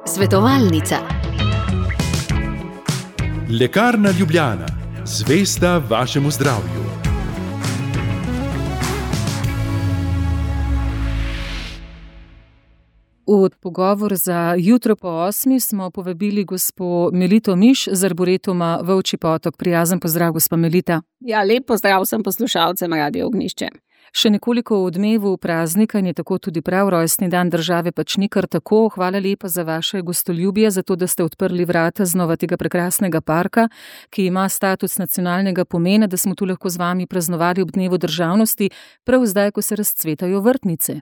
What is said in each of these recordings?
Svetovalnica. Lekarna Ljubljana, zvesta vašemu zdravju. V pogovor za jutro po 8 smo povabili gospo Melito Miš z Arboretuma Volčji Potok. Prijazen pozdrav, gospa Melita. Ja, lep pozdrav vsem poslušalcem Radia Ognjišče. Še nekoliko v odmevu praznika in je tako tudi prav rojstni dan države, pač ni kar tako. Hvala lepa za vaše gostoljubje, za to, da ste odprli vrata znova tega prekrasnega parka, ki ima status nacionalnega pomena, da smo tu lahko z vami praznovali ob dnevu državnosti, prav zdaj, ko se razcvetajo vrtnice.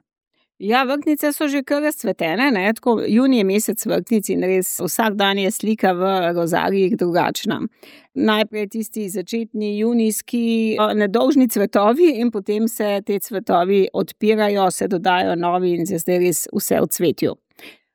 Ja, vrtnice so že kar razcvetene, ne? Tako junij je mesec vrtnic in res vsak dan je slika v rozarijih drugačna. Najprej tisti začetni junijski nedolžni cvetovi in potem se te cvetovi odpirajo, se dodajo novi in se zdaj res vse v cvetju.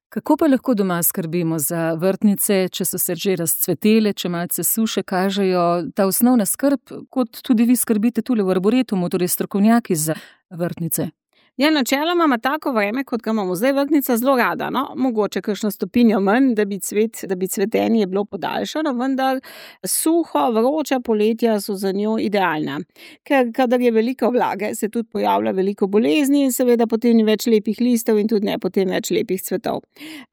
Kako pa lahko doma skrbimo za vrtnice, če so se že razcvetele, če malce suše kažejo, ta osnovna skrb, kot tudi vi skrbite tule v Arboretumu, torej strokovnjaki za vrtnice? Ja, načeloma ima tako vreme, kot ga imamo zdaj, vrtnica zelo rada, no, mogoče kakšno stopinjo manj, da bi cvetenje bilo podaljšano, vendar suho, vroča poletja so za njo idealna. Ker kadar je veliko vlage, se tudi pojavlja veliko bolezni in seveda potem ni več lepih listov in tudi ne potem več lepih cvetov.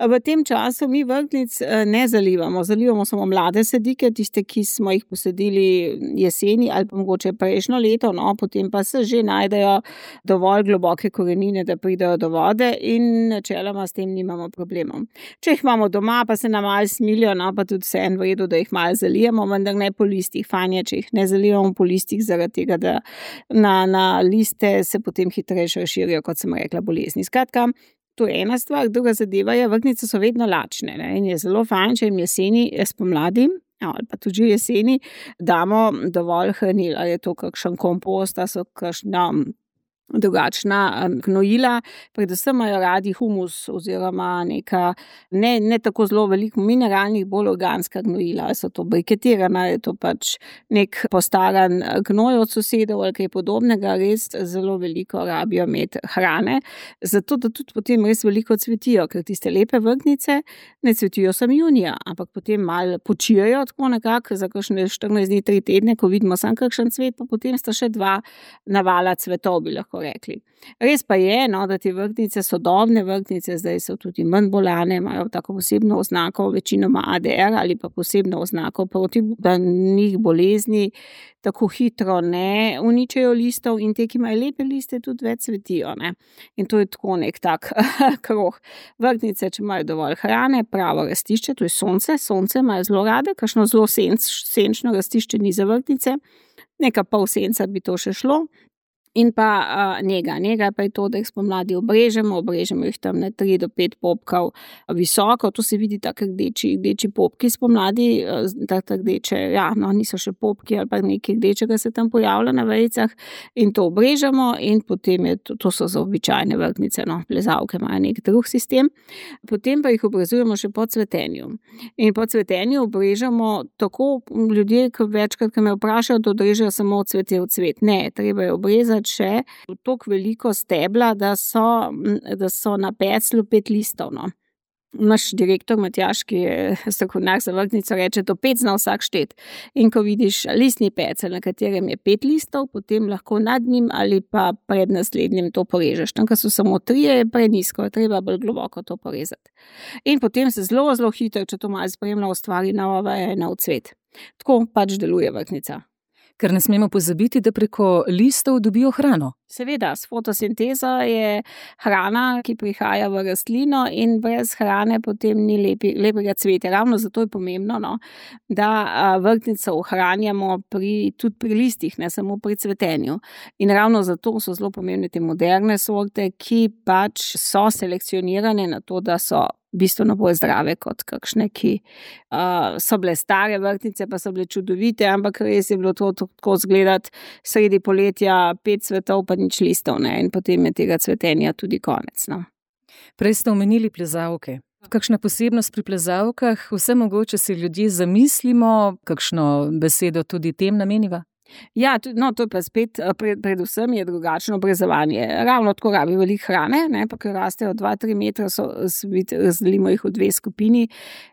V tem času mi vrtnic ne zalivamo samo mlade sadike, tiste, ki smo jih posadili jeseni ali pa mogoče prejšnjo leto, no, potem pa se že najdejo dovolj globoke korenine, da pridejo do vode in načeloma s tem nimamo problemov. Če jih imamo doma, pa se nam malo smilijo, no, pa tudi vseeno v redu, da jih malo zalijemo, vendar ne po listih. Fajn je, če jih ne zalijemo po listih, zaradi tega, da na liste se potem hitreje širijo, kot sem rekla, bolezni. Skratka, to je ena stvar. Druga zadeva je, vrtnice so vedno lačne, ne, in je zelo fajn, če jim jeseni, spomladi, ali pa tudi jeseni, damo dovolj hranil. Ali je to kakšen kompost, ali so kakšna drugačna gnojila, predvsem imajo radi humus oziroma neka ne tako zelo veliko mineralnih, bolj organska gnojila, ali so to briketirana, ali je to pač nek postaran gnoj od sosedov ali kaj podobnega, res zelo veliko rabijo imeti hrane, zato da tudi potem res veliko cvetijo, ker tiste lepe vrtnice ne cvetijo samo junija, ampak potem malo počijajo tako nekako za kakšne 14 dni, 3 tedne, ko vidimo samo kakšen cvet, pa potem sta še 2 navala cvetov, bi lahko rekli. Res pa je, no, da te vrtnice, sodobne vrtnice, zdaj so tudi manj bolane, imajo tako posebno oznako, večinoma ADR ali pa posebno oznako proti njih bolezni, tako hitro ne uničajo listov in te, ki imajo lepe liste, tudi več cvetijo, ne. In to je tako nek tak krog. Vrtnice, če imajo dovolj hrane, pravo rastišče, to je sonce imajo zelo rade, kakšno zelo senčno rastišče ni za vrtnice, neka pol senca bi to še šlo. In pa njega. Njega pa je to, da jih spomladi obrežemo jih tam na 3 do 5 popkov visoko, to se vidi tako rdeči popki spomladi, tako rdeče, ja, no, niso še popki ali pa nekaj rdečega se tam pojavlja na vejicah in to obrežemo in potem je to so za običajne vrtnice, no, plezalke imajo nek drug sistem, potem pa jih obrezujemo še po cvetenju. In po cvetenju obrežemo tako ljudje, ki večkrat, ki me vprašajo, da odrežejo samo cvetje v cvet. Ne, treba je obrezati še toliko veliko stebla, da so na peclju 5 listov, no. Naš direktor Matjaž, ki je strokovnjak za vrtnico, reče, do 5 zna vsak štet. In ko vidiš listni pecelj, na katerem je 5 listov, potem lahko nad njim ali pa pred naslednjim to porežeš. Tam, ko so samo 3, je prenisko, treba bolj globoko to porezati. In potem se zelo, zelo hitro, če to malo spremlja, ustvari nova veja in nov cvet. Tako pač deluje vrtnica. Ker ne smemo pozabiti, da preko listov dobijo hrano. Seveda, s fotosintezo je hrana, ki prihaja v rastlino in brez hrane potem ni lepega cvetja. Ravno zato je pomembno, no, da vrtnico ohranjamo tudi pri listih, ne samo pri cvetenju. In ravno zato so zelo pomembne te moderne sorte, ki pač so selekcionirane na to, da so bistveno bolj zdrave kot kakšne, ki so bile stare vrtnice, pa so bile čudovite, ampak res je bilo to tako zgledati sredi poletja 5 cvetov, pa nič listov, ne, in potem je tega cvetenja tudi konec, no. Prej ste omenili plezalke. Kakšna posebnost pri plezalkah? Vse mogoče si ljudje zamislimo, kakšno besedo tudi tem nameniva? Ja, to je pa spet, predvsem je drugačno obrezovanje. Ravno tako rabi veliko hrane, ne, pa ker rastejo 2-3 metre, razdelimo jih v 2 skupini,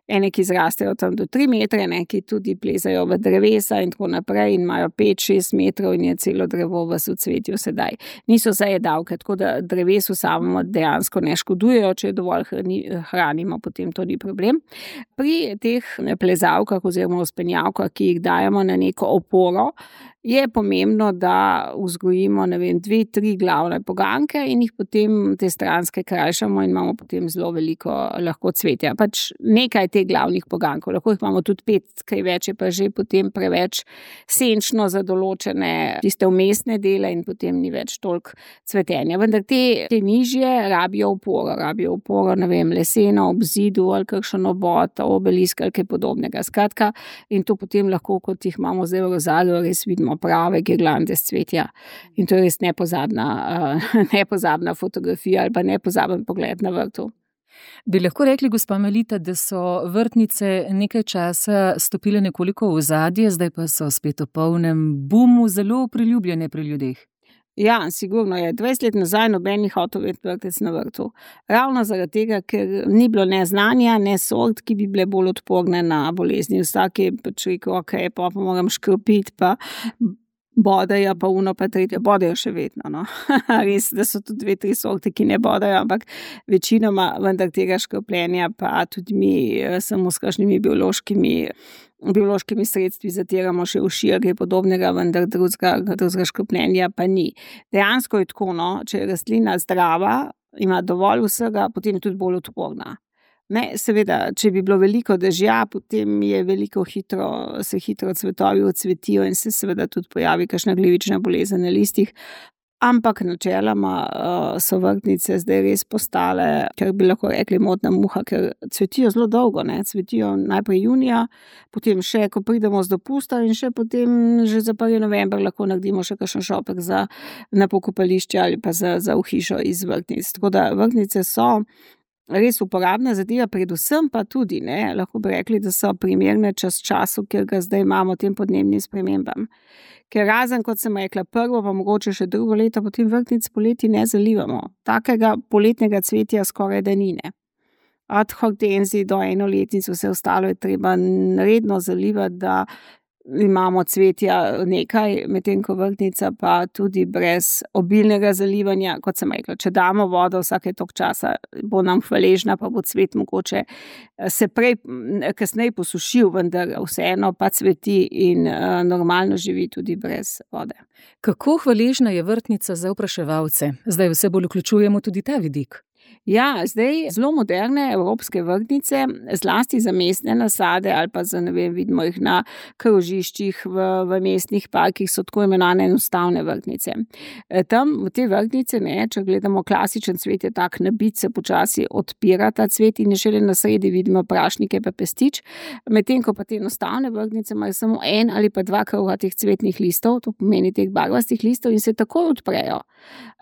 ene, ki zrastejo tam do 3 metre, ne, ki tudi plezajo v drevesa in tako naprej in imajo 5-6 metrov in je celo drevo v cvetju sedaj. Niso zajedavke, tako da drevesu samemu dejansko ne škodujejo, če dovolj hranimo, potem to ni problem. Pri teh plezalkah oziroma vzpenjavkah, ki jih dajemo na neko oporo, je pomembno, da vzgojimo, 2-3 glavne poganjke in jih potem te stranske krajšamo in imamo potem zelo veliko lahko cvetja. Pač nekaj teh glavnih poganjkov, lahko jih imamo tudi 5, kaj več je pa že potem preveč senčno za določene tiste vmesne dele in potem ni več toliko cvetenja. Vendar te nižje rabijo oporo, leseno ob zidu ali kakšen obod, obelisk ali kaj podobnega. Skratka, in to potem lahko, kot jih imamo zdaj v Rozalju, res vidimo prave girlande s cvetja. In to je res nepozabna fotografija ali pa nepozaben pogled na vrtu. Bi lahko rekli, gospa Melita, da so vrtnice nekaj časa stopile nekoliko v ozadje, zdaj pa so spet v polnem boomu, zelo priljubljene pri ljudeh? Ja, sigurno je. 20 let nazaj noben ni hotel imeti vrtec na vrtu. Ravno zaradi tega, ker ni bilo ne znanja, ne sort, ki bi bile bolj odporne na bolezni. Vsak je pač rekel, okej, pa moram škropiti, pa bodejo, pa uno, pa tretje. Bodejo še vedno, no. Res, da so tudi 2-3 sorte, ki ne bodejo, ampak večinoma vendar tega škropljenja, pa tudi mi samo s kakšnimi biološkimi sredstvi zatiramo še uši ali kaj podobnega, vendar drugega škropljenja pa ni. Dejansko je tako, no, če je rastlina zdrava, ima dovolj vsega, potem je tudi bolj odporna. Ne, seveda, če bi bilo veliko dežja, potem je se hitro cvetovi odsvetijo in se seveda tudi pojavi kakšna glivična bolezen na listih. Ampak načeloma so vrtnice zdaj res postale, ker bi lahko rekli modna muha, ker cvetijo zelo dolgo, ne, cvetijo najprej junija, potem še, ko pridemo z dopusta in še potem že za 1. november lahko naredimo še kakšen šopek na pokopališče ali pa za v hišo iz vrtnic. Tako da vrtnice so res uporabna zadeva, predvsem pa tudi, ne, lahko bi rekli, da so primerne času, kjer ga zdaj imamo tem podnebnim spremembam. Ker razen, kot sem rekla, prvo, pa mogoče še drugo leto, potem vrtnic poleti ne zalivamo. Takega poletnega cvetja skoraj da ni, ne. Od hortenzij do enoletnic, vse ostalo je treba redno zalivati, da imamo cvetja nekaj, medtem ko vrtnica pa tudi brez obilnega zalivanja, kot sem rekla, če damo vodo vsake toliko časa, bo nam hvaležna, pa bo cvet mogoče se kasneje posušil, vendar vseeno pa cveti in normalno živi tudi brez vode. Kako hvaležna je vrtnica za opraševalce? Zdaj vse bolj vključujemo tudi ta vidik. Ja, zdaj zelo moderne evropske vrtnice, zlasti za mestne nasade ali pa vidimo jih na krožiščih v mestnih parkih, so tako imenovane enostavne vrtnice. Tam v te vrtnice, ne, če gledamo klasičen cvet, je tak nabit, se počasi odpira ta cvet in šele na sredi vidimo prašnike pa pestič, medtem ko pa te enostavne vrtnice imajo samo 1 ali pa 2 kroga teh cvetnih listov, to pomeni teh barvastih listov in se takoj odprejo.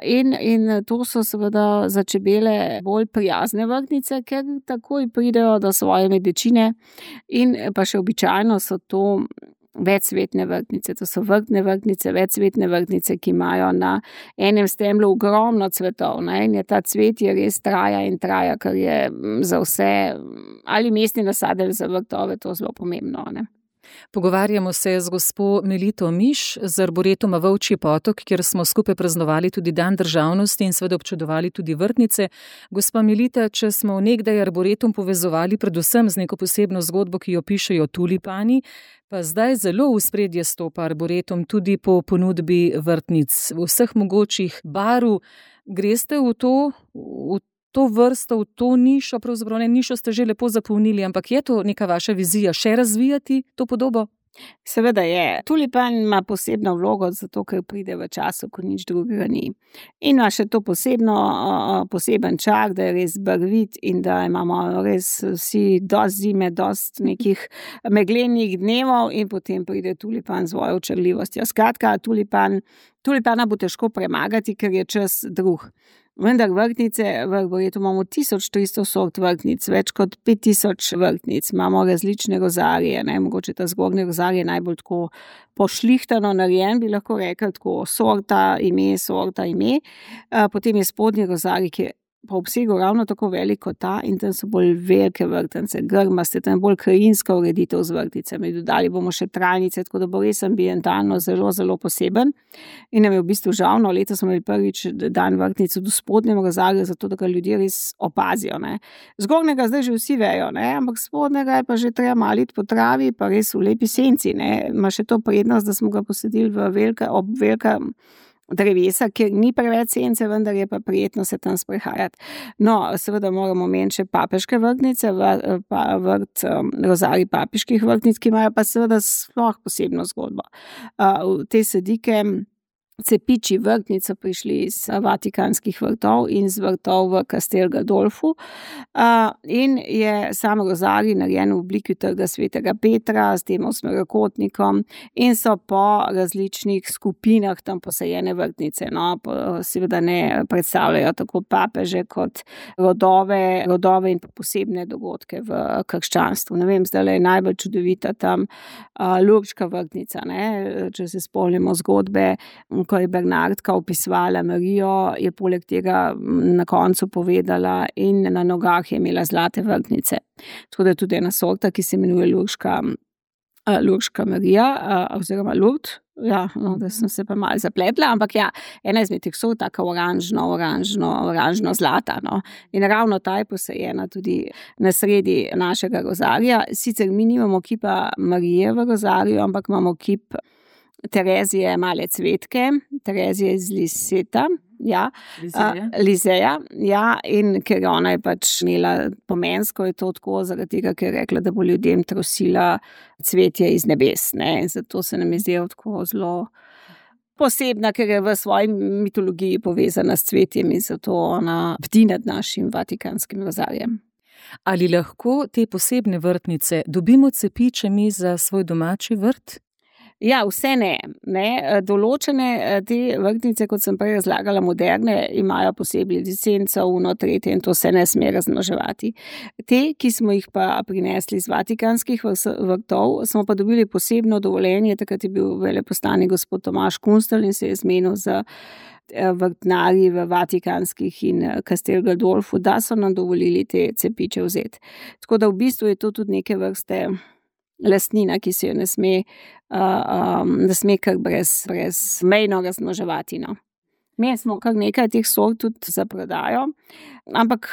In to so seveda za čebele bolj prijazne vrtnice, ker takoj pridejo do svoje medečine in pa še običajno so to večcvetne vrtnice. To so vrtne vrtnice, večcvetne vrtnice, ki imajo na enem stemlu ogromno cvetov, ne, in ta cvet je res traja, kar je za vse, ali mestne nasade ali za vrtove, to zelo pomembno, ne. Pogovarjamo se z gospo Melito Miš z Arboretuma Volčji Potok, kjer smo skupaj praznovali tudi Dan državnosti in seveda občudovali tudi vrtnice. Gospa Melita, če smo nekdaj Arboretum povezovali predvsem z neko posebno zgodbo, ki jo pišejo tulipani, pa zdaj zelo v ospredje stopa Arboretum tudi po ponudbi vrtnic vseh mogočih barv. Greste v to vrsto, v to nišo, pravzaprav ne nišo ste že lepo zapolnili, ampak je to neka vaša vizija še razvijati to podobo? Seveda je. Tulipan ima posebno vlogo, zato ker pride v času, ko nič drugega ni. In ima še to poseben čar, da je res barvit in da imamo res vsi dosti zime, dosti nekih meglenih dnevov in potem pride tulipan z svojo očarljivostjo. Skratka, tulipana bo težko premagati, ker je čas drug. Vendar vrtnice, v Arboretu imamo 1300 sort vrtnic, več kot 5000 vrtnic, imamo različne rozarije, mogoče ta zgornji rozarij je najbolj tako pošlihtano narejen, bi lahko rekli tako sorta, ime, potem je spodnji rozarij, ki je po obsegu ravno tako velik kot ta in tam so bolj velike vrtnice, grmaste, tam bolj krajinska ureditev z vrtnicami, dodali bomo še trajnice, tako da bo res ambientalno zelo, zelo poseben in nam je v bistvu žal, letos smo imeli prvič dan vrtnic v spodnjem rozarju, zato da ga ljudje res opazijo. Zgornjega zdaj že vsi vejo, ampak spodnjega je pa že treba malo iti po travi, pa res v lepi senci, ima še to prednost, da smo ga posadili ob velika drevesa, kjer ni preveč sence, vendar je pa prijetno se tam sprehajati. No, seveda moramo omeniti še papeške vrtnice, rozarij papeških vrtnic, ki imajo pa seveda sploh posebno zgodbo. Te sadike cepiči vrtnic so prišli iz vatikanskih vrtov in z vrtov v Castel Gandolfu in je sam rozarij narejen v obliki trga svetega Petra s tem osmerokotnikom in so po različnih skupinah tam posajene vrtnice. Seveda ne predstavljajo tako papeže kot rodove in posebne dogodke v krščanstvu. Ne vem, zdaj je najbolj čudovita tam Lurška vrtnica, če se spomnimo zgodbe, ko je Bernardka opisovala Marijo, je poleg tega na koncu povedala in na nogah je imela zlate vrtnice. Tako da je tudi ena sorta, ki se imenuje Lurška Marija, oziroma Lurd. Da sem se pa malo zapletla, ampak ena izmed teh sort, taka oranžno zlata. In ravno ta je posajena tudi na sredi našega rozarija. Sicer mi nimamo kipa Marije v rozariju, ampak imamo kip Terezije male cvetke, Terezije iz Lizeja, in ker ona je pač imela pomensko, je to tako zaradi tega, ker je rekla, da bo ljudem trosila cvetje iz nebes, zato se nam je zdelo tako zelo posebna, ker je v svoji mitologiji povezana s cvetjem in zato ona bdi nad našim vatikanskim rozarjem. Ali lahko te posebne vrtnice dobimo cepiče mi za svoj domači vrt? Ja, vse ne. Določene te vrtnice, kot sem prej razlagala, moderne, imajo posebej licenco, tretje in to se ne sme razmnoževati. Te, ki smo jih pa prinesli iz vatikanskih vrtov, smo pa dobili posebno dovoljenje, takrat je bil veleposlanik gospod Tomaž Kunstelj in se je zmenil za vrtnarji v vatikanskih in Castel Gandolfu, da so nam dovolili te cepiče vzeti. Tako da v bistvu je to tudi neke vrste lastnina, ki se jo ne sme kar brez mejno razmnoževati. Mi smo kar nekaj teh sort tudi za prodajo, ampak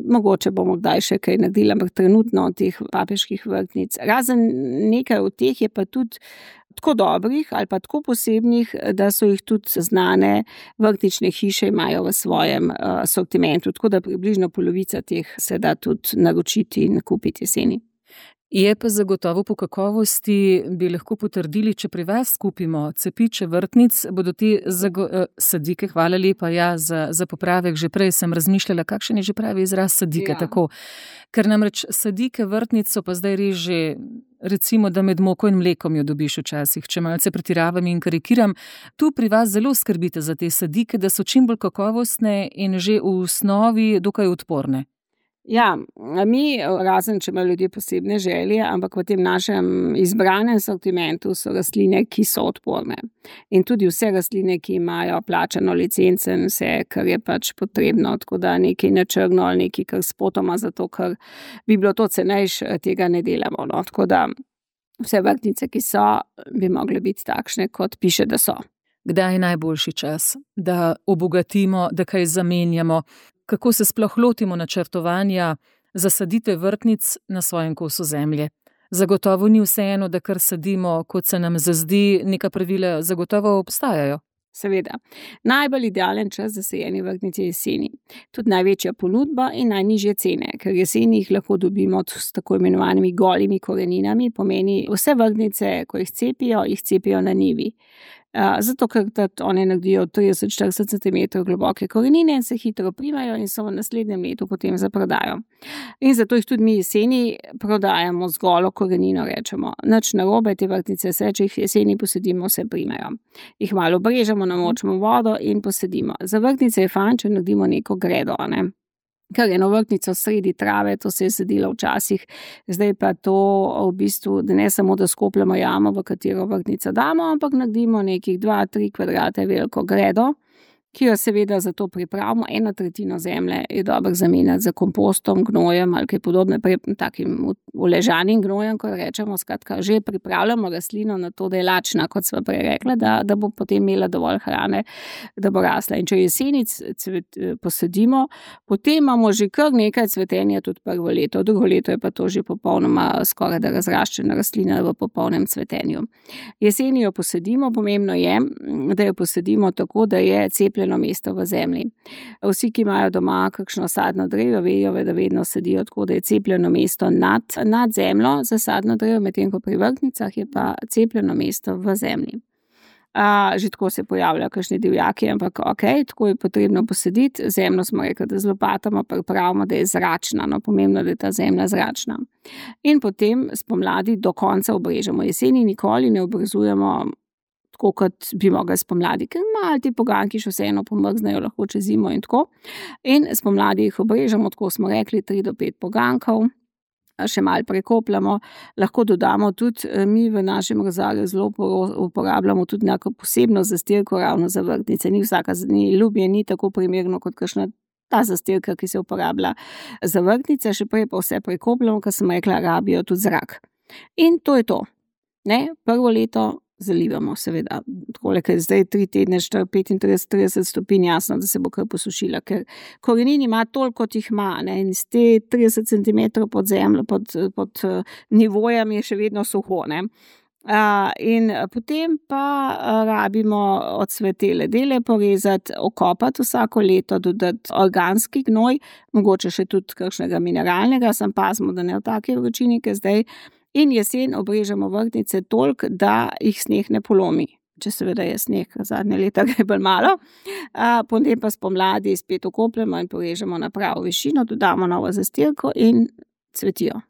mogoče bomo kdaj še kaj naredili, ampak trenutno teh papeških vrtnic. Razen nekaj od teh je pa tudi tako dobrih ali pa tako posebnih, da so jih tudi znane vrtnične hiše imajo v svojem sortimentu, tako da približno polovica teh se da tudi naročiti in kupiti jeseni. Je pa zagotovo po kakovosti, bi lahko potrdili, če pri vas kupimo cepiče vrtnic, bodo te sadike, hvala lepa, za popravek, že prej sem razmišljala, kakšen je že pravi izraz sadike, tako. Ker namreč sadike vrtnic so pa zdaj res že, recimo, da med moko in mlekom jo dobiš včasih, če malce pretiravam in karikiram. Tu pri vas zelo skrbite za te sadike, da so čim bolj kakovostne in že v osnovi dokaj odporne. Ja, mi, razen če imajo ljudje posebne želje, ampak v tem našem izbranem sortimentu so rastline, ki so odporne. In tudi vse rastline, ki imajo plačano licenco in vse, kar je pač potrebno, tako da nekaj na črno ali nekaj kar spotoma, zato ker bi bilo to cenejše, tega ne delamo. Tako da vse vrtnice, ki so, bi mogle biti takšne, kot piše, da so. Kdaj je najboljši čas, da obogatimo, da kaj zamenjamo? Kako se sploh lotimo načrtovanja zasaditve vrtnic na svojem kosu zemlje? Zagotovo ni vseeno, da kar sadimo, kot se nam zazdi, neka pravila zagotovo obstajajo. Seveda. Najbolj idealen čas za sajenje vrtnic je jeseni. Tudi največja ponudba in najnižje cene, ker jeseni jih lahko dobimo s tako imenovanimi golimi koreninami, pomeni vse vrtnice, ko jih cepijo na njivi. Zato, ker oni naredijo 30-40 cm globoke korenine in se hitro primajo in so v naslednjem letu potem za prodajo. In zato jih tudi mi jeseni prodajamo z golo korenino, rečemo. Nič narobe, te vrtnice se, če jih jeseni posedimo, se primajo. Jih malo obrežemo, namočimo vodo in posedimo. Za vrtnice je fajn, če naredimo neko gredo, ne? Ker eno vrtnico sredi trave, to se je sedilo včasih, zdaj pa to v bistvu, da ne samo, da skopljamo jamo, v katero vrtnico damo, ampak naredimo nekih 2-3 kvadrate veliko gredo, ki jo seveda za to pripravimo. 1/3 zemlje je dobro zamenjati za kompostom, gnojem ali kaj podobne, takim uležanim gnojem, ko rečemo, skratka, že pripravljamo rastlino na to, da je lačna, kot sva prej rekla, da bo potem imela dovolj hrane, da bo rasla. In če jesenic posadimo, potem imamo že kar nekaj cvetenja tudi prvo leto, drugo leto je pa to že popolnoma skoraj da razraščena rastlina v popolnem cvetenju. Jeseni jo posadimo, pomembno je, da jo posadimo tako, da je cepljeno mesto v zemlji. Vsi, ki imajo doma kakšno sadno drevo, vejo, da vedno sadijo tako, da je cepljeno mesto nad zemljo za sadno drevo, medtem ko pri vrtnicah je pa cepljeno mesto v zemlji. Že tako se pojavljajo kakšni divjaki, ampak tako je potrebno posaditi. Zemljo smo rekli, da z lopatama pripravimo, da je zračna, pomembno, da je ta zemlja zračna. In potem spomladi do konca obrežemo. Jeseni nikoli ne obrezujemo tako, kot bi mogli spomladi, ker malo ti poganjki še vseeno pomrznejo lahko čez zimo in tako. In spomladi jih obrežemo, tako smo rekli, 3 do 5 poganjkov, še malo prekopljamo. Lahko dodamo tudi, mi v našem rozarju zelo uporabljamo tudi neko posebno zastirko ravno za vrtnice. Ni vsaka ljubje, ni tako primerno kot kakšna ta zastirka, ki se uporablja za vrtnice, še prej pa vse prekopljamo, ker sem rekla, rabijo tudi zrak. In to je to. Ne? Prvo leto zalivamo, seveda, takole, ker zdaj 3 tedne, 35-30 stopinj, jasno, da se bo kar posušila, ker korenin ima toliko, kot jih ima, ne, in z te 30 cm pod zemljo, pod nivojem je še vedno suho, ne. In potem pa rabimo odsvetele dele porezati, okopati vsako leto, dodati organski gnoj, mogoče še tudi kakšnega mineralnega, samo pazimo, da ne v taki vročini, ker zdaj. In jesen obrežemo vrtnice toliko, da jih sneg ne polomi. Če seveda je sneg, zadnje leta gre bolj malo. Potem pa spomladi spet okopljemo in porežemo na pravo višino, dodamo novo zastirko in cvetijo.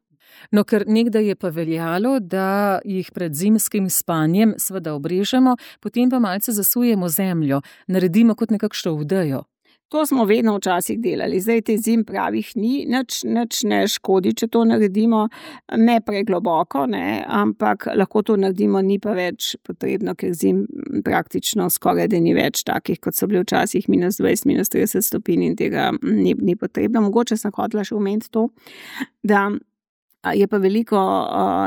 No, ker nekdaj je pa veljalo, da jih pred zimskim spanjem seveda obrežemo, potem pa malce zasujemo zemljo, naredimo kot nekakšno vdejo. To smo vedno včasih delali, zdaj te zim pravih ni, nič ne škodi, če to naredimo, ne pregloboko, ne, ampak lahko to naredimo, ni pa več potrebno, ker zim praktično skoraj da ni več takih, kot so bili včasih -20, -30 stopinj in tega ni potrebno. Mogoče sem hotela še omeniti to, da je pa veliko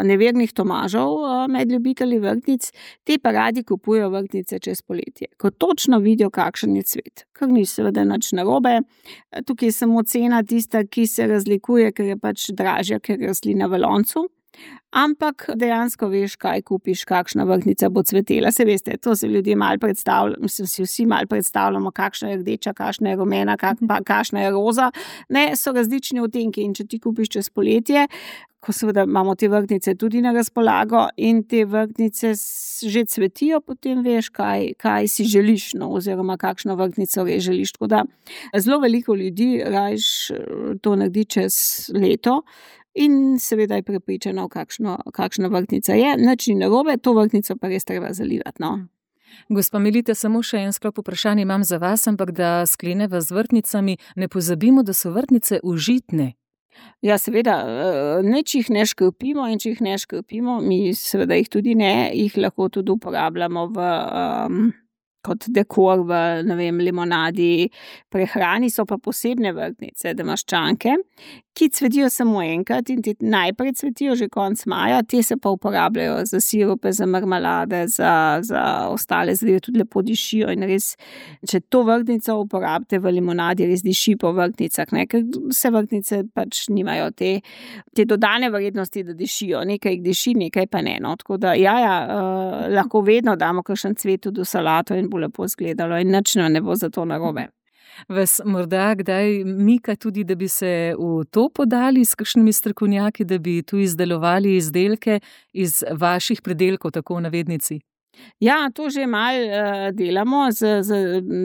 nevernih Tomažev med ljubitelji vrtnic, te pa radi kupujejo vrtnice čez poletje, ko točno vidijo, kakšen je cvet. Kar ni seveda nič narobe, tukaj je samo cena tista, ki se razlikuje, ker je pač dražja, ker je rastlina v loncu. Ampak dejansko veš, kaj kupiš, kakšna vrtnica bo cvetela. Se veste, to se ljudje malo predstavljajo, mislim, si vsi malo predstavljamo, kakšna je rdeča, kakšna je rumena, kakšna je roza. Ne, so različni odtenki in če ti kupiš čez poletje, ko seveda imamo te vrtnice tudi na razpolago in te vrtnice že cvetijo, potem veš, kaj si želiš, no, oziroma kakšno vrtnico res želiš. Tako da zelo veliko ljudi rajš to naredi čez leto. In seveda je prepričana, kakšna vrtnica je. Nič ni narobe, to vrtnico pa res treba zalivati, no. Gospa Melita, samo še en sklop vprašanje imam za vas, ampak da skleneva z vrtnicami, ne pozabimo, da so vrtnice užitne. Ja, seveda, nič jih ne škropimo in če jih ne škropimo, mi seveda jih tudi ne, jih lahko tudi uporabljamo kot dekor v, ne vem, limonadi, prehrani. So pa posebne vrtnice, damaščanke, ki cvetijo samo enkrat in ti najprej cvetijo že konec maja, te se pa uporabljajo za sirupe, za marmelade, za ostale zadeve, tudi lepo dišijo in res, če to vrtnico uporabite v limonadi, res diši po vrtnicah, ne, ker vse vrtnice pač nimajo te dodane vrednosti, da dišijo, nekaj jih diši, nekaj pa ne, no, tako da lahko vedno damo kakšen cvet tudi v salato in bo lepo izgledalo in nič ne bo za to narobe. Vas morda kdaj mika tudi, da bi se v to podali s kakšnimi strokovnjaki, da bi tu izdelovali izdelke iz vaših pridelkov, tako v navednici? Ja, to že malo delamo z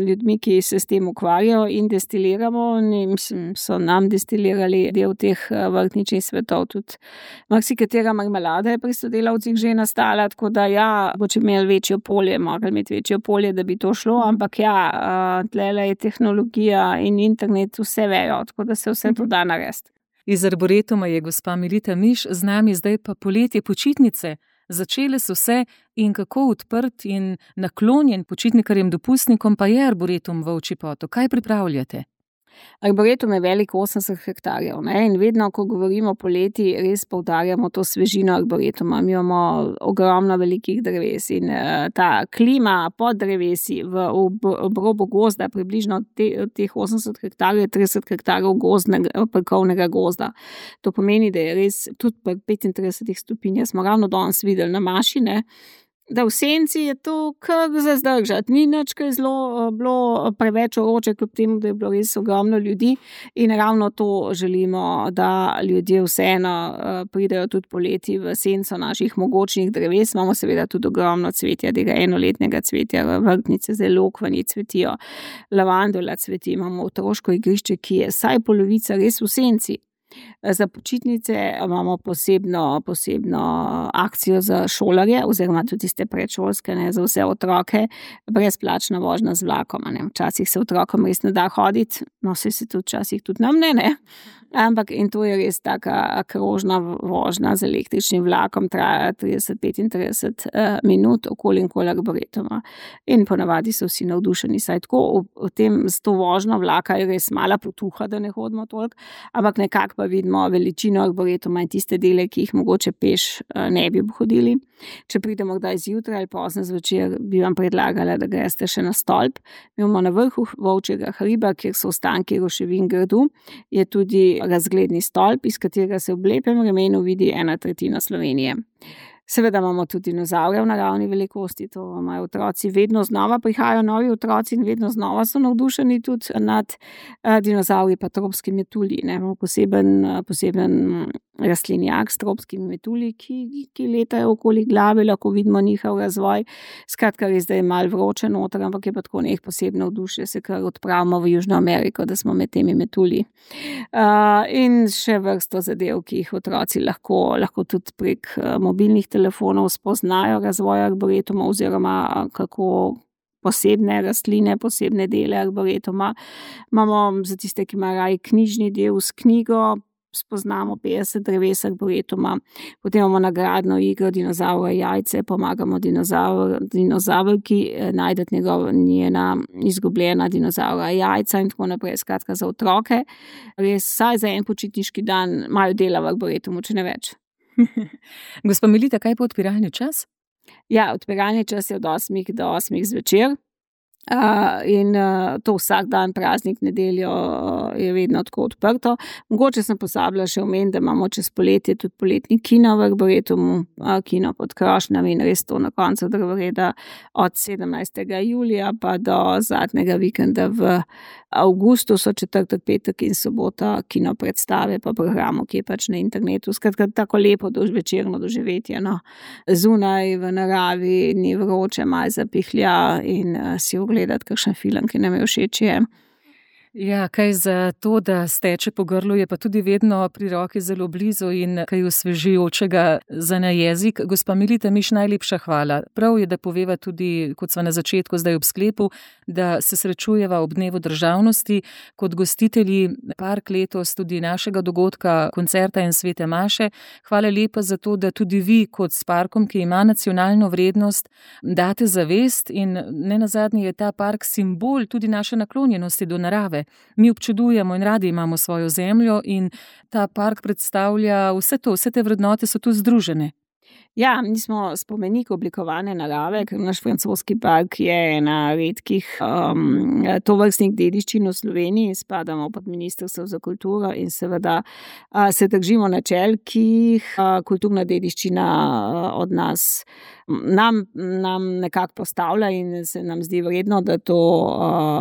ljudmi, ki se s tem ukvarjajo in destiliramo. Mislim, so nam destilirali del teh vrtničnih svetov. Tudi marsikatera marmelada je pri sodelavcih že nastala, tako da ja, bo če imeli večjo polje, morali imeti večjo polje, da bi to šlo, ampak ja, tlele je tehnologija in internet vse vejo, tako da se vse to da narediti. Iz Arboretuma je gospa Melita Miš, z nami zdaj pa poletje počitnice. Začele so se in kako odprt in naklonjen počitnikarjem dopustnikom pa je Arboretum v Ovčji Potok. Kaj pripravljate? Arboretum je velik 80 hektarjev, ne? In vedno, ko govorimo o poleti, res poudarjamo to svežino Arboretuma. Mi imamo ogromno velikih dreves in ta klima pod drevesi v obrobu gozda, približno teh 80 hektarjev, 30 hektarjev parkovnega gozda. To pomeni, da je res tudi pri 35 stopinjah, smo ravno danes videli na maši, ne? Da v senci je to kar za zdržati. Ni nič, kaj zelo bilo preveč vroče, kljub temu, da je bilo res ogromno ljudi in ravno to želimo, da ljudje vseeno pridejo tudi poleti v senco naših mogočnih dreves. Imamo seveda tudi ogromno cvetja, tega enoletnega cvetja, vrtnice, zelo lokvanji cvetijo, lavandula cveti, imamo otroško igrišče, ki je vsaj polovica res v senci. Za počitnice imamo posebno akcijo za šolarje oziroma tudi tiste predšolske, ne, za vse otroke, brezplačna vožnja z vlakom. Ne. Včasih se otrokom res ne da hoditi, no se tudi včasih tudi nam ne. Ampak in to je res taka krožna vožnja z električnim vlakom, traja 30-35 minut okoli Arboretuma. In ponavadi so vsi navdušeni, saj tako v tem s to vožnjo vlaka je res mala potuha, da ne hodimo toliko, ampak nekako pa vidimo veličino Arboretuma in tiste dele, ki jih mogoče peš ne bi hodili. Če pridemo kdaj zjutraj ali pozno zvečer, bi vam predlagala, da greste še na stolp. Mi imamo na vrhu Volčjega hriba, kjer so ostanki ruševin gradu, je tudi razgledni stolp, iz katerega se v lepem vremenu vidi 1/3 Slovenije. Seveda imamo tudi dinozavre v naravni velikosti, to imajo otroci, vedno znova prihajajo novi otroci in vedno znova so navdušeni tudi nad dinozavri pa tropski metulji. Imamo poseben rastlinjak s tropskimi metulji, ki letajo okoli glave, lahko vidimo njihov razvoj. Skratka, res, da je malo vroče noter, ampak je pa tako nek posebno navdušenje, se kar odpravimo v Južno Ameriko, da smo med temi metulji. In še vrsto zadev, ki jih otroci lahko tudi prek mobilnih telefonov spoznajo razvoj Arboretuma oziroma kako posebne rastline, posebne dele Arboretuma. Imamo za tiste, ki imajo radi knjižni del s knjigo, spoznamo 50 dreves Arboretuma, potem imamo nagradno igro Dinozavra jajce, pomagamo dinozavrki najdeti njena izgubljena dinozavra jajca in tako naprej. Skratka, za otroke res vsaj za en počitniški dan imajo dela v Arboretumu, če ne več. Gospa Melita, kaj pa odpiralni čas? Ja, odpiralni čas je od 8 do 8 zvečer. In to vsak dan, praznik, nedeljo je vedno tako odprto. Mogoče sem pozabila še omeniti, da imamo čez poletje tudi poletni kino v Arboretumu, kino pod krošnjami in res to na koncu drevoreda od 17. julija pa do zadnjega vikenda v avgustu so četrtek, petek in sobota kino predstave pa programov, ki je pač na internetu. Skratka, tako lepo večerno doživetje, no. Zunaj v naravi, ni vroče, malo zapihlja in si ogledati kakšen film, ki nam je všeč je. Ja, kaj za to, da steče po grlu, je pa tudi vedno pri roki zelo blizu in kaj osvežujočega za na jezik. Gospa Melita Miš, najlepša hvala. Prav je, da poveva tudi, kot sva na začetku, zdaj ob sklepu, da se srečujeva ob Dnevu državnosti kot gostitelji park letos tudi našega dogodka, koncerta in svete maše. Hvala lepa za to, da tudi vi kot s parkom, ki ima nacionalno vrednost, date zavest in nenazadnje je ta park simbol tudi naše naklonjenosti do narave. Mi občudujemo in radi imamo svojo zemljo in ta park predstavlja vse to, vse te vrednote so tu združene. Ja, mi smo spomenik oblikovane narave, ker naš francoski park je ena redkih tovrstnih dediščin v Sloveniji, spadamo pod Ministrstvo za kulturo in seveda se držimo načel, ki jih kulturna dediščina od nas nam nekako postavlja in se nam zdi vredno, da to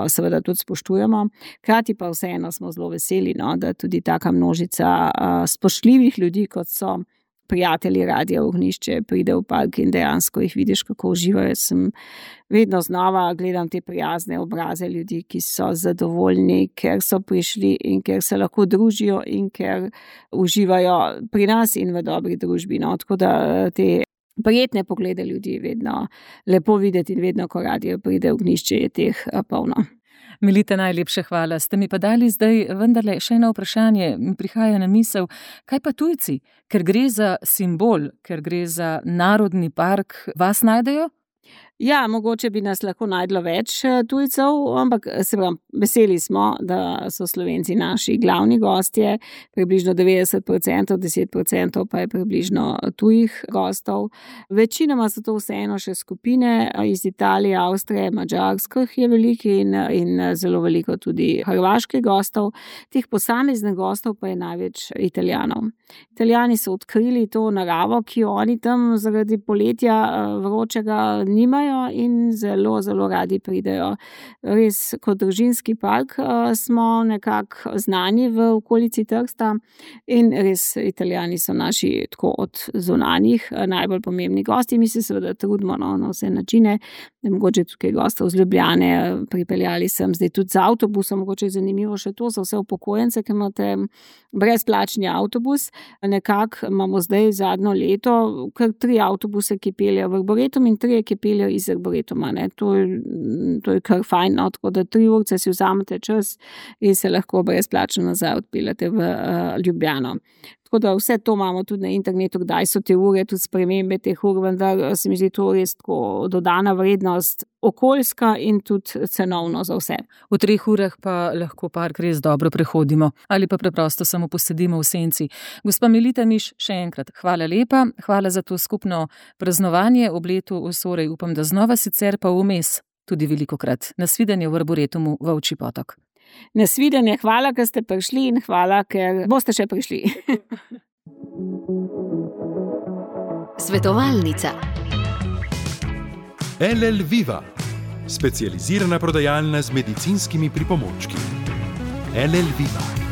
seveda tudi spoštujemo. Hkrati pa vseeno smo zelo veseli, no, da tudi taka množica spoštljivih ljudi, kot so prijatelji Radia Ognjišče pridejo v park in dejansko jih vidiš, kako uživajo. Sem vedno znova gledam te prijazne obraze ljudi, ki so zadovoljni, ker so prišli in ker se lahko družijo in ker uživajo pri nas in v dobri družbi. No, tako da te prijetne poglede ljudi je vedno lepo videti in vedno, ko Radio pride v Ognjišče, je teh polno. Melita, najlepše hvala. Ste mi pa dali zdaj vendarle še eno vprašanje, mi prihaja na misel, kaj pa tujci, ker gre za simbol, ker gre za narodni park, vas najdejo? Ja, mogoče bi nas lahko najdlo več tujcev, ampak se pravi, veseli smo, da so Slovenci naši glavni gostje, približno 90%, 10% pa je približno tujih gostov. Večinoma so to vseeno še skupine iz Italije, Avstrije, Madžarskih je veliko in zelo veliko tudi hrvaških gostov. Teh posameznih gostov pa je največ Italijanov. Italijani so odkrili to naravo, ki jo oni tam zaradi poletja vročega nimajo in zelo, zelo radi pridejo. Res, kot družinski park smo nekako znani v okolici Trsta in res Italijani so naši tako od zunanjih najbolj pomembni gosti. Mi se seveda trudimo na vse načine, da mogoče tukaj gostov z Ljubljane pripeljali sem zdaj tudi z avtobusom, mogoče je zanimivo še to za vse upokojence, ki imate brezplačni avtobus. Nekako imamo zdaj zadnjo leto kar 3 avtobuse, ki peljejo v Arboretum in 3, ki peljejo iz Arboretuma. To je kar fajn, no? Tako da 3 urce si vzamete čas in se lahko brezplačno nazaj odpeljate v Ljubljano. Tako da vse to imamo tudi na internetu, kdaj so te ure, tudi spremembe teh ur, vendar se mi zdi to res tako dodana vrednost, okoljska in tudi cenovno za vse. V 3 urah pa lahko park res dobro prehodimo ali pa preprosto samo posedimo v senci. Gospa Melita Miš, še enkrat hvala lepa, hvala za to skupno praznovanje ob letu Osorej. Upam, da znova sicer pa vmes tudi velikokrat. Nasvidenje v Arboretumu Volčji Potok. Nasvidenje, hvala, ker ste prišli in hvala, ker boste še prišli. Svetovalnica. LL Viva, specializirana prodajalna z medicinskimi pripomočki. LL Viva.